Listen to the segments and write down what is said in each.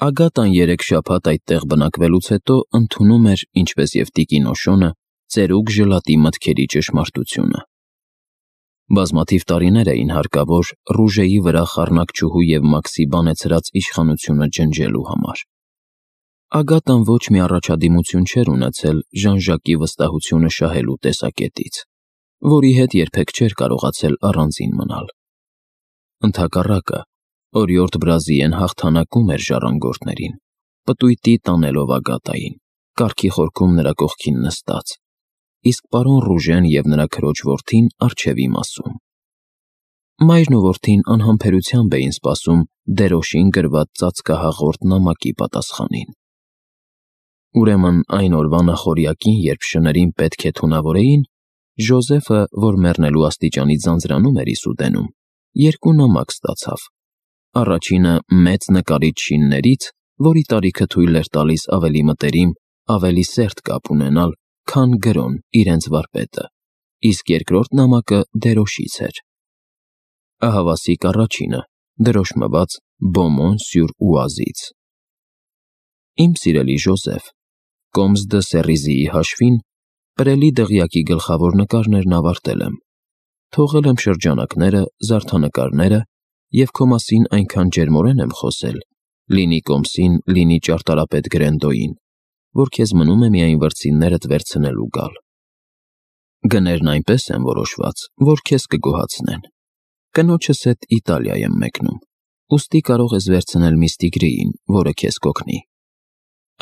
Ագատան 3 շաբաթ այդտեղ բնակվելուց հետո ընդունում էր, ինչպես և տիկին Օշոնը, ծերուկ ժլատի մտքերի ճշմարտությունը։ Բազմաթիվ տարիներ էին հարկավոր Ռուժեի վրա խառնակչուհու և Մաքսի բանեցրած իշխանությունը ջնջելու համար։ Ագատան ոչ մի առաջադիմություն չէր ունեցել Ժան-Ժակի վստահությունը շահելու տեսակետից, որի հետ երբեք չէր կարողացել առանձին մնալ։ Ընդհակառակը, օրիորդ Բրազիեն հաղթանակում էր ժառանգորդներին, պտույտի տանելով Ագատային, կառքի խորքում նրա կողքին նստած, իսկ պարոն Ռուժեն և նրա քրոջ որդին առջևի մասում։ Մայրն ու որդին անհամբերությամբ էին սպասում դերոշին գրված ծածկահաղորդ նամակի պատասխանին։ Ուրեմն այն օրվա նախօրյակին, երբ շներին պետք է թունավորեին, Ժոզեֆը, որ մեռնելու աստիճանի ձանձրանում էր Իսուդենում, 2 նամակ ստացավ։ Առաջինը մեծ նկարիչ շիններից, որի տարիքը թույլ էր տալիս ավելի մտերիմ, ավելի սերտ կապ ունենալ, քան գրոն իրենց վարպետը, իսկ երկրորդ նամակը դերոշից էր։ Ահավասիկ առաջինը, դրոշմված Բոմոն սյուր Ուազից։ Իմ սիրելի Ժոզեֆ, Կոմս դը Սերիզիի հաշվին, պրելի դղյակի գլխավոր նկարներն ավարտել եմ։ Թողել եմ շրջանակները, զարդանկարները և քո մասին այնքան ջերմորեն եմ խոսել, լինի Կոմսին, լինի ճարտարապետ Գրենդոյին, որ քեզ մնում է միայն վրձիններդ վերցնել ու գալ։ Գներն այնպես են որոշված, որ քեզ կգոհացնեն։ Կնոջս հետ Իտալիա եմ մեկնում, ուստի կարող ես վերցնել միստր Տիգրիին, որը քեզ կօգնի։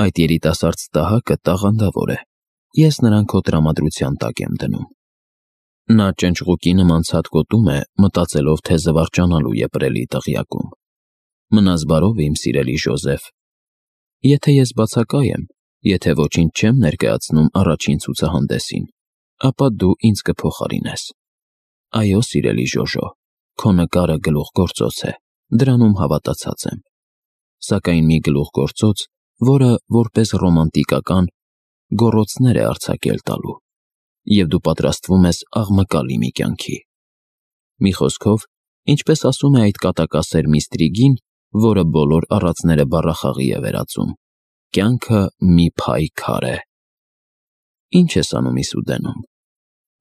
Այդ երիտասարդ ստահակը տաղանդավոր է, ես նրան քո տրամադրության տակ եմ դնում։ Նա ճնճղուկի նման ցատկոտում է, մտածելով, թե զվարճանալու է պրելի դղյակում։ Մնաս բարով, իմ սիրելի Ժոզեֆ։ Եթե ես բացակայ եմ, եթե ոչինչ չեմ ներկայացնում առաջին ցուցահանդեսին, ապա դու ինձ կփոխարինես։ Այո, սիրելի Ժոժո, քո նկարը գլուխգործոց է, դրանում հավատացած եմ։ Սակայն մի գլուխգործոց, որը որպես ռոմանտիկական գոռոցներ է արձակել տալու, և դու պատրաստվում ես աղմկալի մի կյանքի։ Մի խոսքով, ինչպես ասում է այդ կատակասեր Միստրիգին, որը բոլոր առածները բառախաղի է վերածում, կյանքը մի փայ քար է։ Ինչ ես անում Իսուդենում։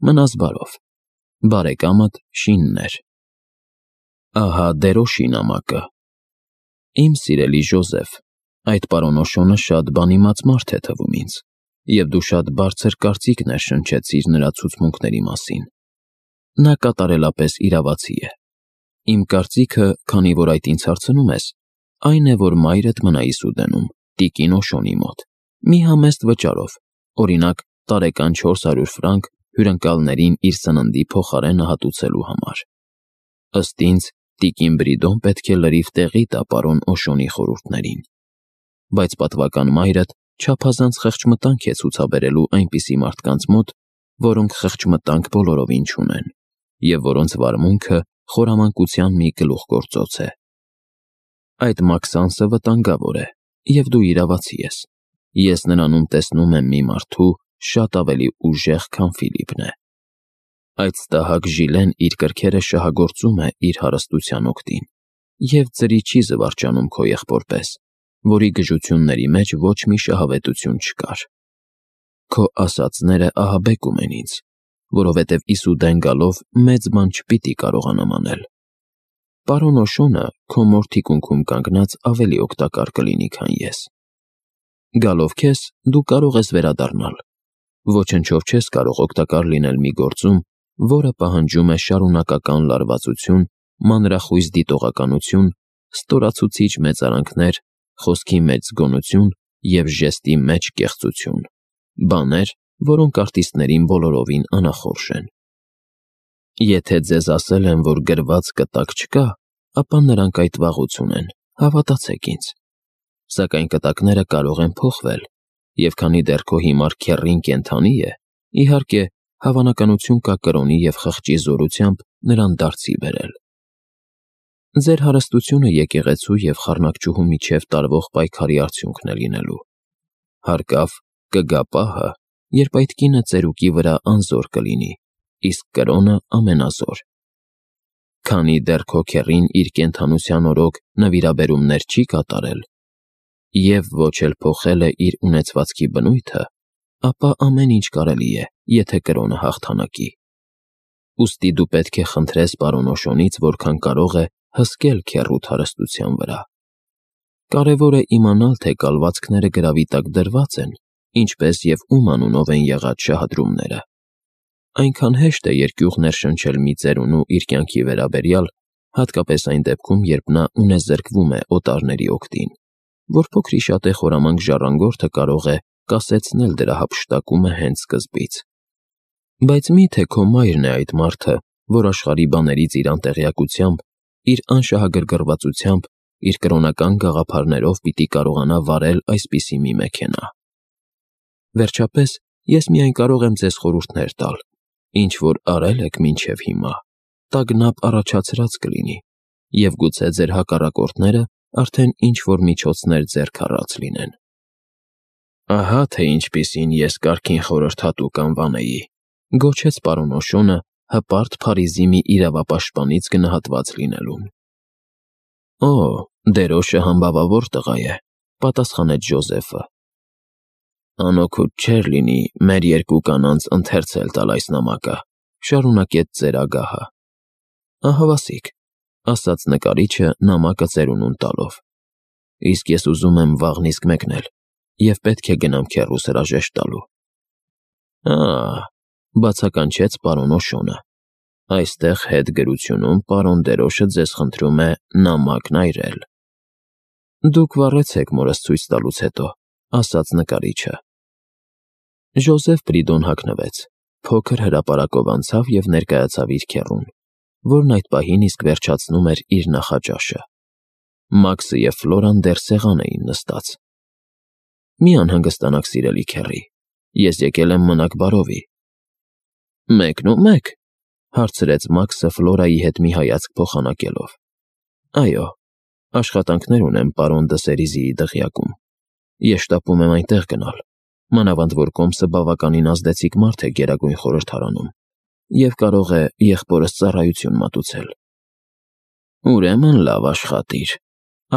Մնաս բարով։ Բարեկամդ Շիններ։ Ահա դերոշի նամակը։ Իմ սիրելի Ժոզեֆ, այդ պարոն Օշոնը շատ բանիմաց մարդ է թվում ինձ, և դու շատ բարձր կարծիքներ շնչեցիր նրա ցուցմունքների մասին։ Նա կատարելապես իրավացի է։ Իմ կարծիքը, քանի որ այդ ինձ հարցնում ես, այն է, որ մայրդ մնա Իսուդենում, տիկին Օշոնի մոտ, մի համեստ վճարով, օրինակ տարեկան 400 ֆրանկ հյուրընկալներին իր սննդի փոխարենը հատուցելու համար։ Ըստ ինձ, տիկին Բրիդոն պետք է լրիվ տեղի տա պարոն Օշոնի խորհուրդներին։ Բայց պատվական մայրդ չափազանց խեղճմտանք է ցուցաբերելու այնպիսի մարդկանց մոտ, որոնք խեղճմտանք բոլորովին չունեն, և որոնց վարմունքը խորամանկության մի գլուխգործոց է։ Այդ Մաքսանսը վտանգավոր է, և դու իրավացի ես։ Ես նրանում տեսնում եմ մի մարդու շատ ավելի ուժեղ, քան Ֆիլիպն է։ Այդ ստահակ Ժիլեն իր կրքերը շահագործում է իր հարստության օգտին, և ծրի չի զվարճանում քո եղբոր պես, որի գժությունների մեջ ոչ մի շահավետություն չկար։ Քո ասածները ահաբեկում են ինձ, որովհետև Իսուդեն գալով մեծ բան չպիտի կարողանամ անել։ Պարոն Օշոնը քո մոր թիկունքում կանգնած ավելի օգտակար կլինի, քան ես։ Գալով քեզ, դու կարող ես վերադառնալ։ Ոչնչով չես կարող օգտակար լինել մի գործում, որը պահանջում է շարունակական լարվածություն, մանրախույս դիտողականություն, ստորացուցիչ մեծարանքներ, խոսքի մեջ զգոնություն և ժեստի մեջ կեղծություն, բաներ, որոնք արտիստներին բոլորովին անախորժ են։ Եթե ձեզ ասել են, որ գրված կտակ չկա, ապա նրանք այդ վաղուց ունեն, հավատացեք ինձ։ Սակայն կտակները կարող են փոխվել, և քանի դեռ քո հիմար քեռին կենդանի է, իհարկե, հավանականություն կա կրոնի և խղճի զորությամբ նրան դարձի բերել։ Ձեր հարստությունը եկեղեցու և խառնակչուհու միջև տարվող պայքարի արդյունքն է լինելու։ Հարկավ, կգա պահը, երբ այդ կինը ծերուկի վրա անզոր կլինի, իսկ կրոնը ամենազոր։ Քանի դեռ քո քեռին իր կենդանության օրոք նվիրաբերումներ չի կատարել, և ոչ էլ փոխել է իր ունեցվածքի բնույթը, ապա ամեն ինչ կարելի է, եթե կրոնը հաղթանակի։ Ուստի դու պետք է խնդրես պարոն Օշոնից, որքան կարող է հսկել քեռուդ հարստության վրա։ Կարևոր է իմանալ, թե կալվածքները գրավի տակ դրված են, ինչպես և ում անունով են եղած շահադրումները։ Այնքան հեշտ է երկյուղ ներշնչել մի ծերունու իր կյանքի վերաբերյալ, հատկապես այն դեպքում, երբ նա ունեզրկվում է օտարների օգտին, որ փոքրիշատե խորամանկ ժառանգորդը կարող է կասեցնել դրա հափշտակումը հենց սկզբից։ Բայց մի՞թե քո մայրն է այդ մարդը, որ աշխարհի բաներից իր անտեղյակությամբ, իր անշահագրգռվածությամբ, իր կրոնական գաղափարներով պիտի կարողանա վարել այսպիսի մի մեքենա։ Վերջապես, ես միայն կարող եմ ձեզ խորհուրդներ տալ, ինչ որ արել եք մինչև հիմա, տագնապ առաջացրած կլինի, և գուցե ձեր հակառակորդները արդեն ինչ-որ միջոցներ ձեռք առած լինեն։ Ահա թե ինչպիսին ես կարգին խորհրդատու կանվանեի, գոչեց պարոն Օշոնը հպարտ Փարիզի մի իրավապաշտպանից գնահատված լինելուն։ Օ, դերոշը համբավավոր տղա է, պատասխանեց Ջոզեֆը։ Անօգուտ չէր լինի մեր երկու կանանց ընթերցել տալ այս նամակը, շարունակեց ծերագահը։ Ահավասիկ, ասաց նկարիչը նամակը ծերունուն տալով։ Իսկ ես ուզում եմ վաղն իսկ մեկնել և պետք է գնամ քեռուս հրաժեշտ տալու։ Բացականչեց պարոն Օշոնը։ Այստեղ հետ գրությունում պարոն դերոշը ձեզ խնդրում է նամակն այրել։ Դուք վառեցեք մորս ցույց տալուց հետո, ասաց նկարիչը։ Ժոզեֆ Պրիդոն հագնվեց, փոքր հրապարակով անցավ և ներկայացավ իր քեռուն, որն այդ պահին իսկ վերջացնում էր իր նախաճաշը։ Մաքսը և Ֆլորան դեռ սեղան էին նստած։ Մի անհանգստանաք, սիրելի քեռի, ես եկել եմ մնաք բարովի։ Մեկնո՞ւմ եք, հարցրեց Մաքսը Ֆլորայի հետ մի հայացք փոխանակելով։ Այո, աշխատանքներ ունեմ պարոն Դսերիզիի դղյակում։ Ես շտապում եմ այնտեղ գնալ, մանավանդ որ կոմսը բավականին ազդեցիկ մարդ է Գերագույն խորհրդարանում և կարող է եղբորս ծառայություն մատուցել։ Ուրեմն լավ աշխատիր,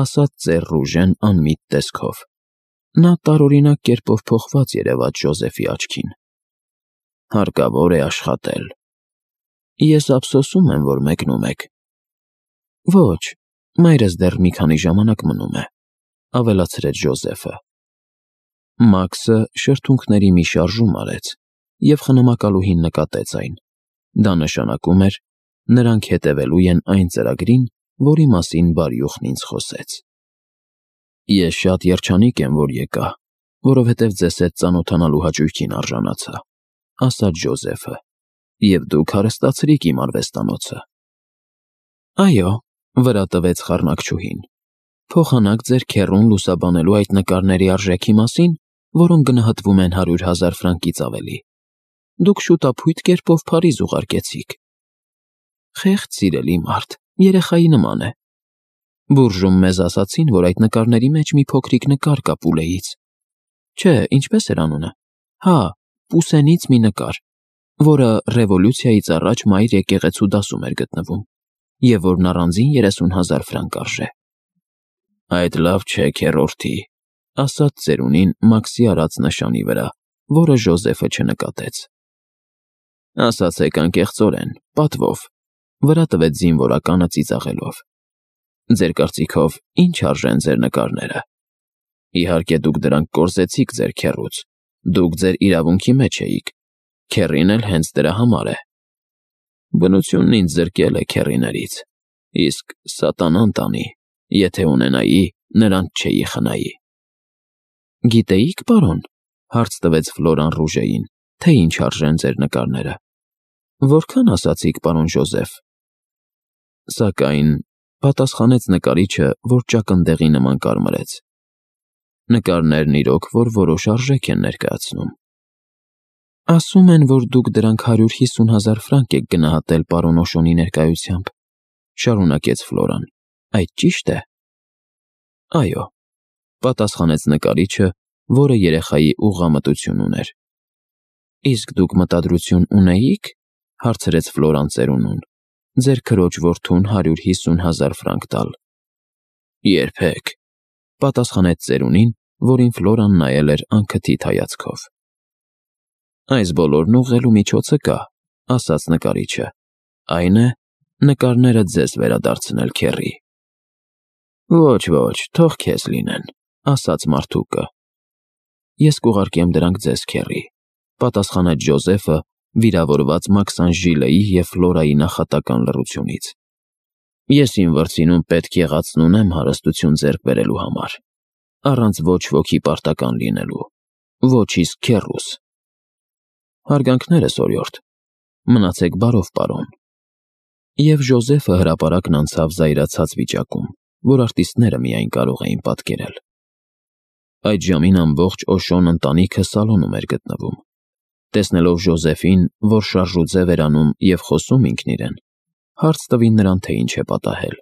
ասաց ծեր Ռուժեն անմիտ տեսքով։ Նա տարօրինակ կերպով փոխված երևաց Ժոզեֆի աչքին։ Հարկավոր է աշխատել։ Ես ափսոսում եմ, որ մեկնում եք։ Ոչ, մայրս դեռ մի քանի ժամանակ մնում է, ավելացրեց Ժոզեֆը։ Մաքսը շրթունքների մի շարժում արեց և խնամակալուհին նկատեց այն։ Դա նշանակում էր, նրանք հետևելու են այն ծրագրին, որի մասին բարյուխն ինձ խոսեց։ Ես շատ երջանիկ եմ, որ եկա, որովհետև ձեզ հետ ծանոթանալու հաճույքին արժանացա, ասաց Ժոզեֆը, և դուք հարստացրիք իմ արվեստանոցը։ Այո, վրա տվեց խառնակչուհին, փոխանակ ձեր քեռուն լուսաբանելու այդ նկարների արժեքի մասին, որոնք գնահատվում են 100,000 ֆրանկից ավելի։ Դուք շուտափույթ կերպով Փարիզ ուղարկեցիք։ Խեղճ սիրելի մարդ, երեխայի նման է։ Բուրժում մեզ ասացին, որ այդ նկարների մեջ մի փոքրիկ նկար կա Պուլեից։ Չէ, ինչպես էր անունը։ Հա, Պուսենից մի նկար, որը ռևոլյուցիայից առաջ մայր եկեղեցու դասում էր գտնվում, և որն առանձին 30,000 ֆրանկ արժե։ Այդ լավ չէ, քեռորդի, ասաց ծերունին Մաքսի արած նշանի վրա, որը Ժոզեֆը չնկատեց։ Ասացեք անկեղծորեն, պատվով, վրա տվեց զինվորականը ծիծաղելով։ Ձեր կարծիքով ինչ արժեն ձեր նկարները։ Իհարկե դուք դրանք կորզեցիք ձեր քեռուց, դուք ձեր իրավունքի մեջ էիք, քեռին էլ հենց դրա համար է։ Բնությունն ինձ զրկել է քեռիներից, իսկ սատանան տանի, եթե ունենայի, նրանց չէի խնայի։ Գիտեիք, պարոն, հարց տվեց Ֆլորան Ռուժեին, թե ինչ արժեն ձեր նկարները։ Որքան ասացիք, պարոն Ժոզեֆ։ Սակայն, պատասխանեց նկարիչը, որ ճակնդեղի նման կարմրեց։ Նկարներն իրոք, որ որոշ արժեք են ներկայացնում։ Ասում են, որ դուք դրանք 150,000 ֆրանկ եք գնահատել պարոն Օշոնի ներկայությամբ, շարունակեց Ֆլորան։ Այդ ճի՞շտ է։ Այո, պատասխանեց նկարիչը, որը երեխայի ուղղամտություն ուներ։ Իսկ դուք մտադրություն ունեիք, հարցրեց Ֆլորան ծերունուն, ձեր քրոջ որդուն 150,000 ֆրանկ տալ։ Երբեք, պատասխանեց ծերունին, որին Ֆլորան նայել էր անքթիթ հայացքով։ Այս բոլորն ուղղելու միջոցը կա, ասաց նկարիչը, այն է, նկարները ձեզ վերադարձնել, քեռի։ Ոչ, թող քեզ լինեն, ասաց մարդուկը։ Ես կուղարկեմ դրանք ձեզ, քեռի, պատասխանեց Ջոզեֆը, վիրավորված Մաքսանժիլեի և Ֆլորայի նախատական լռությունից։ Ես իմ վրձինում պետք եղածն ունեմ հարստություն ձեռք բերելու համար, առանց ոչ ոքի պարտական լինելու, ոչ իսկ քեռուս։ Հարգանքներս, օրիորդ, մնացեք բարով, պարոն։ Եվ Ջոզեֆը հրապարակն անցավ զայրացած վիճակում, որ արտիստները միայն կարող էին պատկերել։ Այդ ժամին ամբողջ Օշոն ընտանիքը սալոնում էր գտնվում։ Տեսնելով Ջոզեֆին, որ շարժուձև էր անում և խոսում ինքն իրեն, հարց տվին նրան, թե ինչ է պատահել։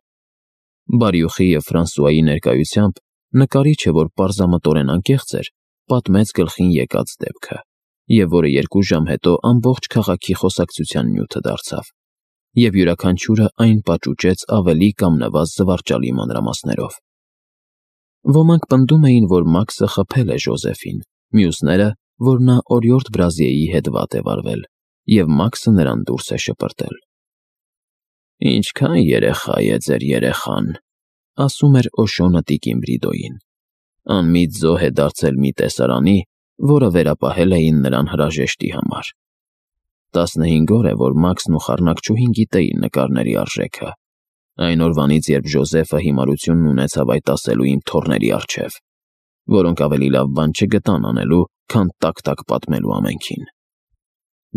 Բարյուխի և Ֆրանսուայի ներկայությամբ նկարիչը, որ պարզամտորեն անկեղծ էր, պատմեց գլխին եկած դեպքը, և որը 2 ժամ հետո ամբողջ քաղաքի խոսակցության նյութը դարձավ, և յուրաքանչյուրը այն պաճուճեց ավելի կամ նվազ զվարճալի մանրամասներով։ Ոմանք պնդում էին, որ Մաքսը խփել է Ջոզեֆին, մյուսները, որ նա օրիորդ Բրազիեի հետ վատ է վարվել, և Մաքսը նրան դուրս է շպրտել։ Ինչքան երեխա է ձեր երեխան, ասում էր Օշոնը տիկին Բրիդոյին։ Անմիտ զոհ է դարձել մի տեսարանի, որը վերապահել էին նրան հրաժեշտի համար։ 15 օր է, որ Մաքսն ու խառնակչուհին գիտեին նկարների արժեքը, այն օրվանից, երբ Ջոզեֆը հիմարությունն ունեցավ այդ ասելու իմ թոռների առջև, որոնք ավելի լավ բան չգտան անելու, քան տակ-տակ պատմելու ամենքին։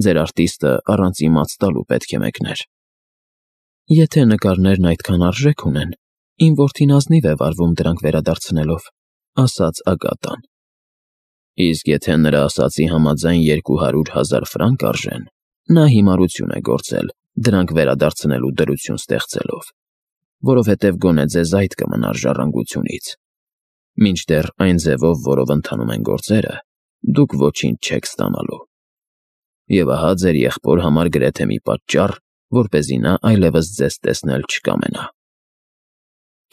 Ձեր արտիստը առանց իմաց տալու պետք է մեկներ։ Եթե նկարներն այդքան արժեք ունեն, իմ որդին ազնիվ է վարվում դրանք վերադարձնելով, ասաց Ագատան։ Իսկ եթե նրա ասածի համաձայն 200,000 ֆրանկ արժեն, նա հիմարություն է գործել, դրանք վերադարձնելու դրություն ստեղծելով, որովհետև գոնե ձեզ այդ կմնար ժառանգությունից։ Մինչդեռ այն ձևով, որով ընթանում են գործերը, դուք ոչինչ չեք ստանալու։ Եվ ահա ձեր եղբոր համար գրեթե մի պատճառ, որպեսզի նա այլևս ձեզ տեսնել չկամենա։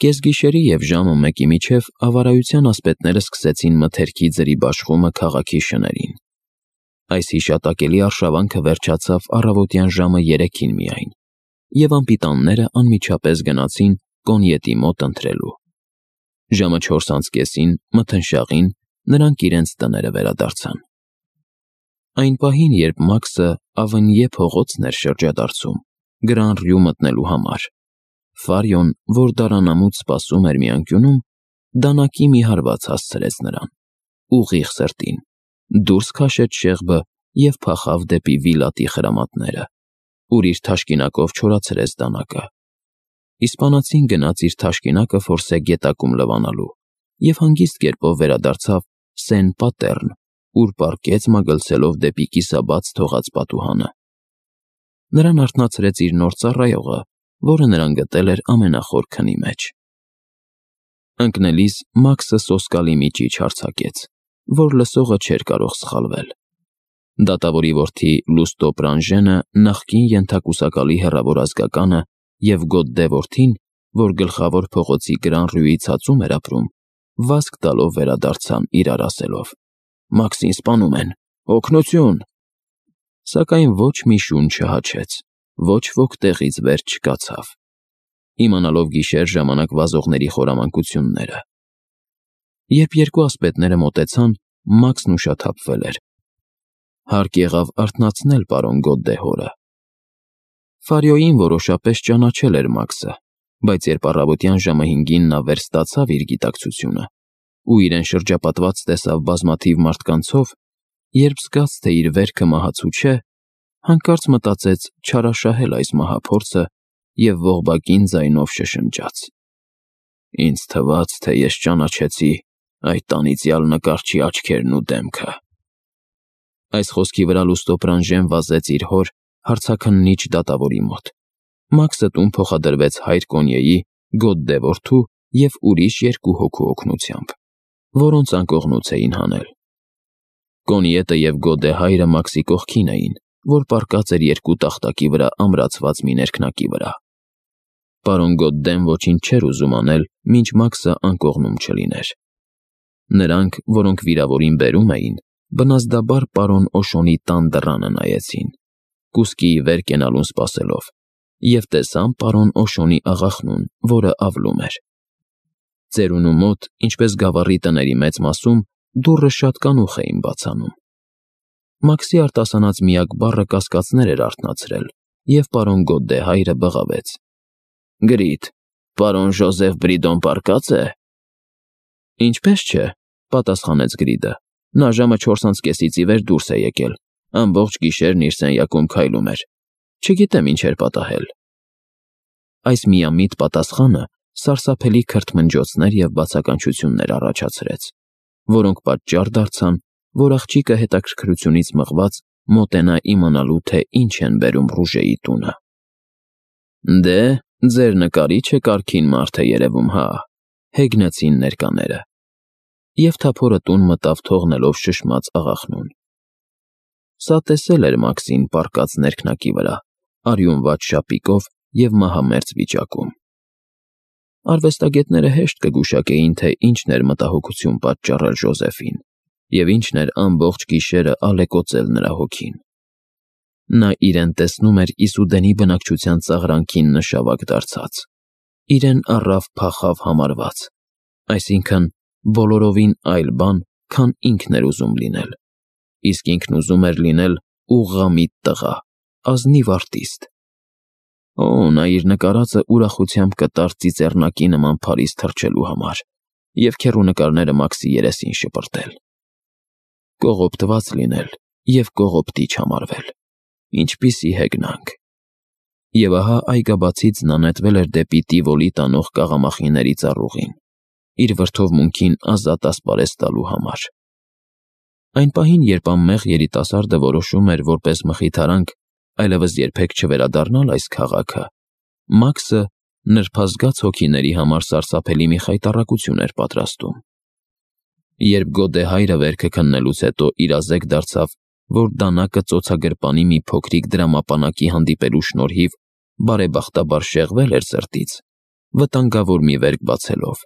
Կեսգիշերի և ժամը 1-ի միջև ավարայության ասպետները սկսեցին մթերքի ձրի բաշխումը քաղաքի շներին։ Այս հիշատակելի արշավանքը վերջացավ առավոտյան ժամը 3-ին միայն, և անպիտանները անմիջապես գնացին Կոնյետի մոտ ընթրելու։ Ժամը 4:30-ին մթնշաղին նրանք իրենց տները վերադարձան։ Այն պահին, երբ Մաքսը Ավենյե փողոցն էր շրջադարձում, Գրան Ռյու մտնելու համար, Ֆարիոն, որ դարանամուց սպասում էր մի անկյունում, դանակի մի հարված հասցրեց նրան, ուղիղ սրտին, դուրս քաշեց շեղբը և փախավ դեպի Վիլատի խրամատները, ուր իր թաշկինակով չորացրեց դանակը։ Իսպանացին գնաց իր թաշկինակը Ֆորսե գետակում լվանալու և հանգիստ կերպով վերադարձավ Սեն Պատեռն, ուր պառկեց մագլցելով դեպի կիսաբաց թողած պատուհանը։ Նրան արթնացրեց իր նոր ծառայողը, որը նրան գտել էր ամենախոր քնի մեջ։ Ընկնելիս Մաքսը սոսկալի միջիչ հարձակեց, որ լսողը չէր կարող սխալվել։ Դատավորի որդի Լուստո Պրանժենը, նախկին ենթակուսակալի հեռավոր ազգականը, և Գոդդե որդին, որ գլխավոր փողոցի Գրան Ռյուի ցածում էր ապրում, վազք տալով վերադարձան իրար ասելով. «Մաքսին սպանում են, օգնություն»։ Սակայն ոչ մի շուն չհաչեց, ոչ ոք տեղից վեր չկացավ, իմանալով գիշեր ժամանակ վազողների խորամանկությունները։ Երբ երկու ասպետները մոտեցան, Մաքսն ուշաթափվել էր։ Հարկ եղավ արթնացնել պարոն Գոդդե հորը։ Ֆարիոյին որոշապես ճանաչել էր Մաքսը, բայց երբ առավոտյան ժամը 5-ին նա վերստացավ իր գիտակցությունը ու իրեն շրջապատված տեսավ բազմաթիվ մարդկանցով, երբ զգաց, թե իր վերքը մահացու չէ, հանկարծ մտածեց չարաշահել այս մահափորձը և ողբակին ձայնով շշնջաց. «Ինձ թվաց, թե ես ճանաչեցի այդ անիծյալ նկարչի աչքերն ու դեմքը»։ Այս խոսքի վրա Լուստո Պրանժեն վազեց իր հոր, հարցաքննիչ դատավորի մոտ։ Մաքսը տուն փոխադրվեց հայր Կոնյեի, Գոդդե որդու և ուրիշ 2 հոգու օգնությամբ, որոնց անկողնուց էին հանել։ Կոնյետը և Գոդդե հայրը Մաքսի կողքին էին, որ պառկած էր 2 տախտակի վրա ամրացված մի ներքնակի վրա։ Պարոն Գոդդեն ոչինչ չէր ուզում անել, մինչ Մաքսը անկողնում չլիներ։ Նրանք, որոնք վիրավորին բերում էին, բնազդաբար պարոն Օշոնի տան դռանը նայեցին, կուսկիի վեր կենալուն սպասելով, և տեսան պարոն Օշոնի աղախնուն, որը ավլում էր։ Ծերունու մոտ, ինչպես գավառի տների մեծ մասում, դուռը շատ կանուխ էին բացանում։ Մաքսի արտասանած միակ բառը կասկածներ էր արթնացրել, և պարոն Գոդդե հայրը բղավեց. «Գրիտ, պարոն Ժոզեֆ Բրիդոն պառկած է»։ «Ինչպես չէ», պատասխանեց Գրիդը։ «Նա ժամը 4:30-ից ի վեր դուրս է եկել, ամբողջ գիշերն իր սենյակում քայլում էր։ Չգիտեմ ինչ էր պատահել»։ Այս միամիտ պատասխանը սարսափելի քրթմնջոցներ և բացականչություններ առաջացրեց, որոնք պատճառ դարձան, որ աղջիկը հետաքրքրությունից մղված մոտենա իմանալու, թե ինչ են բերում Ռուժեի տունը։ «Դե, ձեր նկարիչը կարգին մարդ է երևում, հա», հեգնեցին ներկաները, և թափորը տուն մտավ թողնելով շշմած աղախնուն։ Սա տեսել էր Մաքսին պառկած ներքնակի վրա, արյունված շապիկով և մահամերձ վիճակում։ Արվեստագետները հեշտ կգուշակեին, թե ինչն էր մտահոգություն պատճառել Ժոզեֆին, և ինչն էր ամբողջ գիշերը ալեկոծել նրա հոգին։ Նա իրեն տեսնում էր Իսուդենի բնակչության ծաղրանքին նշավակ դարձած, իրեն առավ-փախավ համարված, այսինքն բոլորովին այլ բան, քան ինքն էր ուզում լինել, իսկ ինքն ուզում էր լինել ուղղամիտ տղա, ազնիվ արտիստ։ Օ, նա իր նկարածը ուրախությամբ կտար ծիծեռնակի նման Փարիզ թռչելու համար և քեռունկարները Մաքսի երեսին շպրտել։ Կողոպտված լինել և կողոպտիչ համարվել, ինչպիսի հեգնանք։ Եվ ահա այգաբացից նա նետվել էր դեպի Տիվոլի տանող կաղամախիների ծառուղին, իր վրդովմունքին ազատ ասպարեզ տալու համար։ Այն պահին, երբ անմեղ երիտասարդը որոշում էր որպես մխիթարանք այլևս երբեք չվերադառնալ այս քաղաքը, Մաքսը նրբազգաց հոգիների համար սարսափելի մի խայտառակություն էր պատրաստում։ Երբ Գոդե հայրը վերքը քննելուց հետո իրազեկ դարձավ, որ դանակը ծոցագրպանի մի փոքրիկ դրամապանակի հանդիպելու շնորհիվ բարեբախտաբար շեղվել էր սրտից, վտանգավոր մի վերք բացելով,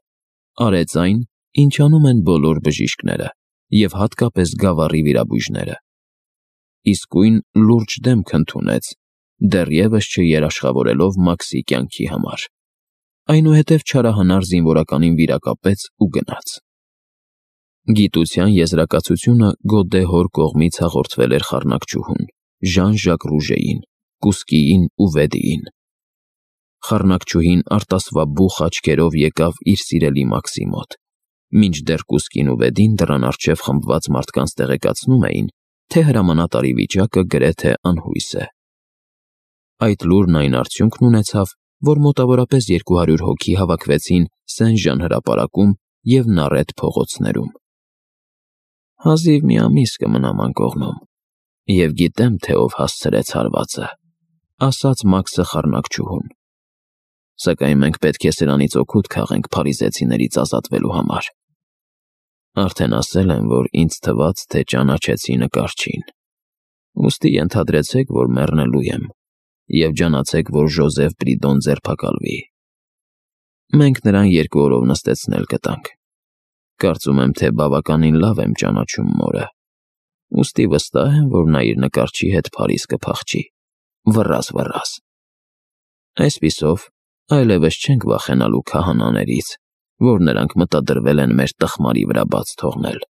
արեց այն, ինչ անում են բոլոր բժիշկները, և հատկապես գավառի վիրաբույժները։ Իսկույն լուրջ դեմք ընդունեց, դեռևս չերաշխավորելով Մաքսի կյանքի համար։ Այնուհետև չարահանար զինվորականին վիրակապեց ու գնաց։ Գիտության եզրակացությունը Գոդե հոր կողմից հաղորդվել էր խառնակչուհուն, Ժան-Ժակ Ռուժեին, կուսկիին ու Վեդիին։ Խառնակչուհին արտասվաբուխ աչքերով եկավ իր սիրելի Մաքսի մոտ, մինչդեռ կուսկին ու Վեդին դռան առջև խմբված մարդկանց տեղեկացնում էին, թե հրամանատարի վիճակը գրեթե անհույս է։ Այդ լուրն այն արդյունքն ունեցավ, որ մոտավորապես 200 հոգի հավաքվեցին Սեն-Ժան հրապարակում և Նարետ փողոցներում։ «Հազիվ մի ամիս կմնամ անկողնում, և գիտեմ, թե ով հասցրեց հարվածը», ասաց Մաքսը խառնակչուհուն։ «Սակայն մենք պետք է սրանից օգուտ քաղենք փարիզեցիներից ազատվելու համար։ Արդեն ասել եմ, որ ինձ թվաց, թե ճանաչեցի նկարչին։ Ուստի ենթադրեցեք, որ մեռնելու եմ, և ջանացեք, որ Ժոզեֆ Բրիդոն ձերբակալվի։ Մենք նրան 2 օրով նստեցնել կտանք։ Կարծում եմ, թե բավականին լավ եմ ճանաչում մորը, ուստի վստահ եմ, որ նա իր նկարչի հետ Փարիզ կփախչի, վռազ։ Այսպիսով, այլևս չենք վախենալու քահանաներից, որ նրանք մտադրվել են մեր տխմարի վրա բաց թողնել»։